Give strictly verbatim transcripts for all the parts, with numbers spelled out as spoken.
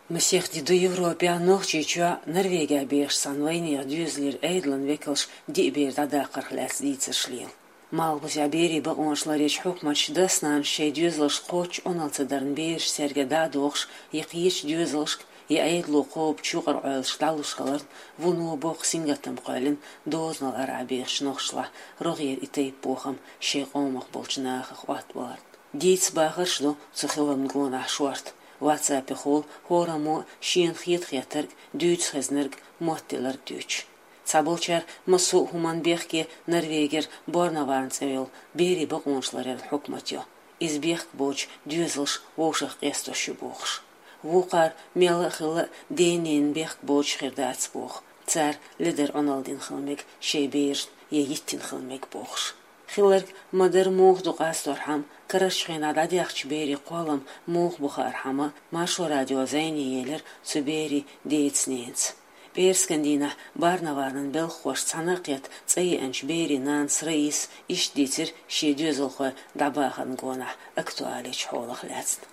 Масех ди ду Европехь, Нохчийчохь, Норвегехь бехаш цхьана вайнехан доьзалера Ӏедалан векалш диъ бер дӀадаккхарх лаьцна дийцарш лела. Малхбузехь берийн бакъонаш ларъечу хьукматаша дас-нанас шайн доьзалш кхоччуш Ӏуналла ца дарна бераш цаьрга дӀа а дохуш, я кхечу доьзалшка, я Ӏедало кхобучу юкъара Ӏойлашка дӀалуш хиларна, вуно боккха сингаттам кхоьллина дозанал арахь бехачу нохчашлахь рогӀера и тайпа бохам шайн къомах болчу нахах Ӏоттабаларна. Дийца бахарш ду цу хиламна гонахь шорта. WhatsApp-ехула хӀораммо шена хета хеттарг, дуьйцу хезнарг, моттаделларг дуьйцуш. Цхьаболчара массо а хӀуманна бехке Норвегера Борнаварн цӀе йолу берийн бакъонаш ларъяран хьукмат йо. Иза бехк боцуш доьзалш вовшах къестош ю бохуш. Вукхара мелла а хилла а ден-ненан бехк боцуш хир дац боху, цара ледара Ӏуналла дина хила мега шайн берашна я йиттина хила мега бохуш. Хилларг ма-дарра муха ду къасторхьама, карарчу хенахь дӀадаьхначу берийн кхоллам муха бу хаархьама, Маршо радио зӀене елира цу берийн деца-ненаца. ПӀераскан дийнахь Борнаварнан белхахошца цхьаьна а кхетта цӀа еанчу берийн нанас Раисас иштта дийцира шен доьзалхой дӀабахарна гонахь актуалечу хьолах лаьцна.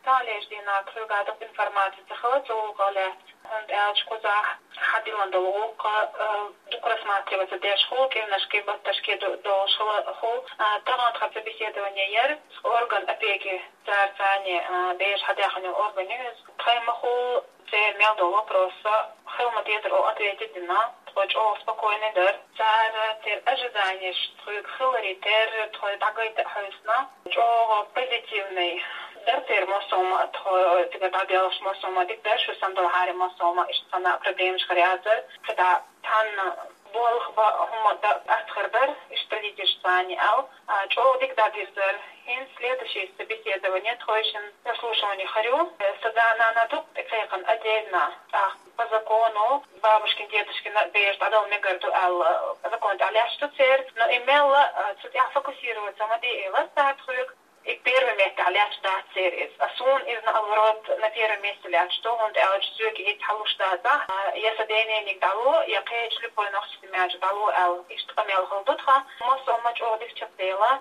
Цхьаллечу дийнахь кхуьнга дукха информаци ца хилла цу гӀуллакхах лаьцна, хӀунда аьлча кхузахь хьадиллина долу гӀуллакх, э, дукха рассматриваться деш хуьлу, кӀирнашкий, батташкий ду-, долуш хилла хуьлу. А, тахана тхан собеседование яра, орган опеки, цара царна, а, бераш хьадаьхна йолу орган ю иза. Тхайн ма-хуьллу церан мел долу вопросаш, хила ма-дезара олу ответаш дина, тхо чӀогӀа спокойный дара. Цара церан ожиданиеш тхоьга хиларе терра, тхо дӀагайта а хьаьвсина, чӀогӀа позитивный дара церан массо а хӀума, тхо цига дӀабелхаш массо а хӀума дика дара, шу санна долу хьарий массо а хӀума, иштта цхьана а проблемаш хир яцара, кхидӀа цхьанна болх бан хӀума дан астхир дара, иштта лидерш царна аьлла. А, чӀогӀа дика дӀабирзара. ХӀинца следующий собеседование, тхойшинна прослушивание хир ю. Сан да-нана дукха тӀекхайкхина отдельно. ТӀаккха по закону бабушкин, дедушкин бераш дӀадала мегар ду аьлла, по закону тӀехь лаьтташ ду церан. Но и мелла, а, цу тӀехь фокусироваться ма де элира цара тхоьга. И первый месте лаьтташ дац церан иза. А суна иза, наоборот, на первом месте лаьтташ ду, хӀунда аьлча соьга и хӀинца хьалуш дацахь, а, я сан ден-нениг дӀало, я кхечу любой нохчийн семьяш дӀало аьлла. Иштта къамел хилла ду тхан. Массо а хӀума чӀогӀа дика чекхдела.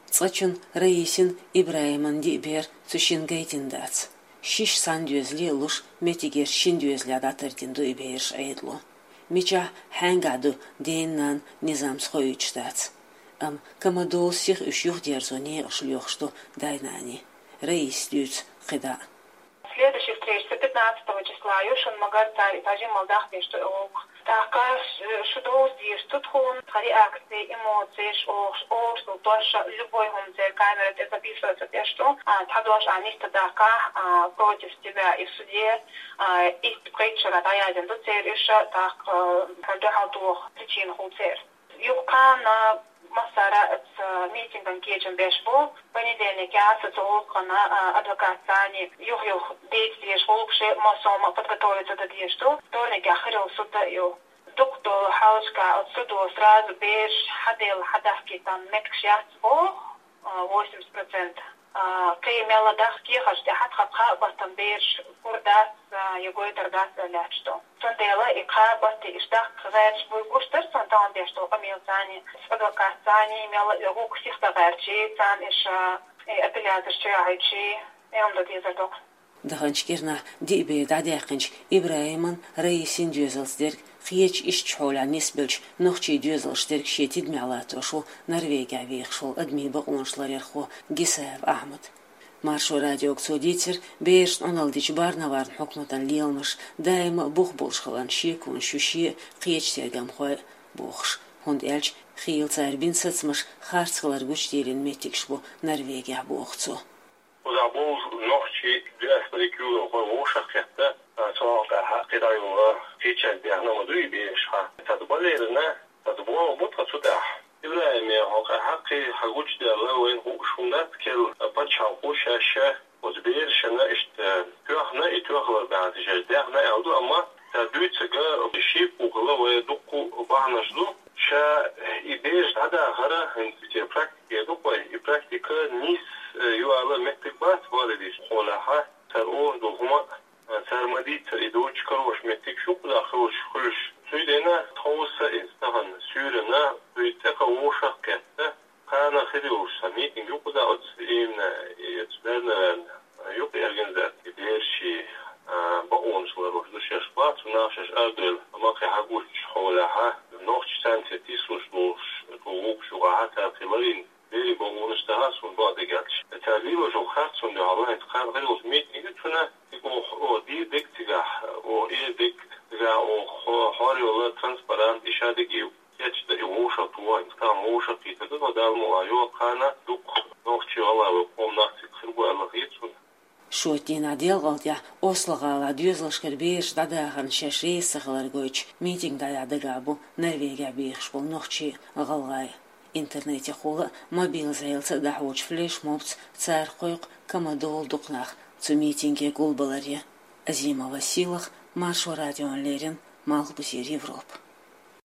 Цкъачунна Раисин, ИбрахӀиман диъ бер цу шинна гайтина дац. Шиш цхьана доьзале а луш, меттигерчу шина доьзале дӀатардина ду и бераш Ӏедало. Мичахь, хьаьнгахь ду ден-нанна низамца хоуьйтуш дац. Амма ка ма-долу сиха уьш юхадерзо некъаш лоьхуш ду дай-наний. Раисас дуьйцу кхидӀа а. Следующая встреча пятнадцатого числа ю, шуна ма-гарра, цара и тажимал дахдеш ду и гӀуллакх. ТӀаккха ш-, шу довза дезаш ду тхуна, тхан реакция, эмоцеш, охуш, охуш долу дош, любой хӀума церан камера тӀе записываться деш ду. А, цхьа дош а нисдаккхахь, а, против тебя и в суде, а, и пхийтта шарахь дӀаяздина ду церан уьш, тӀаккха, а, хьуна дуьхьал тоха причина хуьлу церан. Юха кхана массара а оцу митинган кечам беш бу. Понедельникехь оцу гӀуллакхана, а, адвокатца цхьаьна юха-юха дийца дезаш гӀуллакхаш, массо а хӀума подготовиться дан дезаш ду. Вторникехь хир йолу суд а ю. Дукха долу хьалхашкахь оцу судо сразу бераш хьаделла, хьадахкийтина меттигаш яц боху, а, восемьдесят процентов. А, кхин мелла дахка кехаташ тӀехь тхан кхаа баттана бераш гур дац, а, я гойтур дац аьлла лаьтташ ду. Цундела и кхаа баттана уьш дахка гӀерташ буй гуш дара суна тахана деш долу къамелаца цхьаьна, адвокатца цхьаьна, мелла а гӀуллакх сиха дан гӀерташ, царна уьш, а, и апелляцеш чу яхьийташ, и хӀума дан дезар ду. Даханчу кӀирнахь диъ бер дӀадаьккхинчу ИбрахӀиман, Раисин доьзалца дерг кхечу иштачу хьолехь нисбеллачу нохчийн доьзалш дерг шен тидамехь латтош ву Норвегехь вехаш волу адамийн бакъонаш ларъярхо Гисаев Ахьмад. Маршо радиога цо дийцира, берашна Ӏуналла дича Борнаварн хьукматан леламаш даима а бух болуш хиларна шеконаш ю шен а, кхечу тергамхойн а бохуш, хӀунда аьлча хийла цара бина сацамаш харц хилар гучудийлина меттигаш бу Норвегехь, боху цо. Кхузахь болу нохчий диаспорин куьйгалхой вовшах а кхетта, а, цунах тӀаьхьа кхидӀа йолу кхечаьрга даьхна ма дуй и бераш хьан. Цхьаъ балерина, цхьаъ боху бу тхан цу тӀехь. ИбрахӀиме, хьо кхин хьакхий хьан гучудаьлла, вайна хууш хӀума дац, керла пачхьалкхо шаьш оцу берашна иштта тоьхна, и тоьхалар баьхьна шаьш даьхна аьлла ду, амма цара дуьйцург шиъ бу хилла, вай дуккха а бахьанаш ду. Ша и бераш дӀадахар, хӀинца те практике ду-кх вай, и практика нийса, э, ю ала меттиг бац, бале дийцина хьолахь, цара олуш долу хӀума, э, цара ма-дийццара, и доцуш карош меттигаш ю кхузахь хуьлуш, хуьлуш. Цундела тховса иза тахана суьйранна, цуьнан цӀе кха вовшах а кхетта, кхана хир йолуш цхьа митинг ю кхузахь оцу именно, и оцу Бернаварна, э, ю-кх и организаци, бераш, э, бакъо Шаьш арадойла ма-кхе хьагуччу хьолехьа, нохчий царна тӀе тислуш долуш, тӀо вукху шугӀахьа цара кхин ларийна, берийн бакъонаш дахьа суна бакъдерг аьлча. Цара лелош йолу харцонна дуьхьал ваьхьа кхана гӀирлуш митинг ю цуьнан, тӀаккха оха, оха дийр дерг цигахь, оха эр дерг цигахь, оха хьо-, хьор йолу транспарант, и шадерг и кечда, и вовшахтоха, и стагана вовшахкхетар ду, тхо Далла мукъалахь йоху кхана дукха нохчий, гӀалгӀай вай къоман нах цига хир бу аьлла хета суна. Шоьтан дийнахь делкъал тӀехь Осло-гӀалахь доьзалшкара бераш дӀадахарна шаьш реза ца хилар гойтуш, митинг дӀаяхьа дагахь бу Норвегехь бехаш болу нохчий, гӀалгӀай. Интернетехула а, мобил зӀелаца а дӀахьочу флешмобца цара кхойкху кама долу дукха нах цу митинге гулбаларе. Азимова Сийлаха, Маршо радиона леррина, Малхбузера Европа.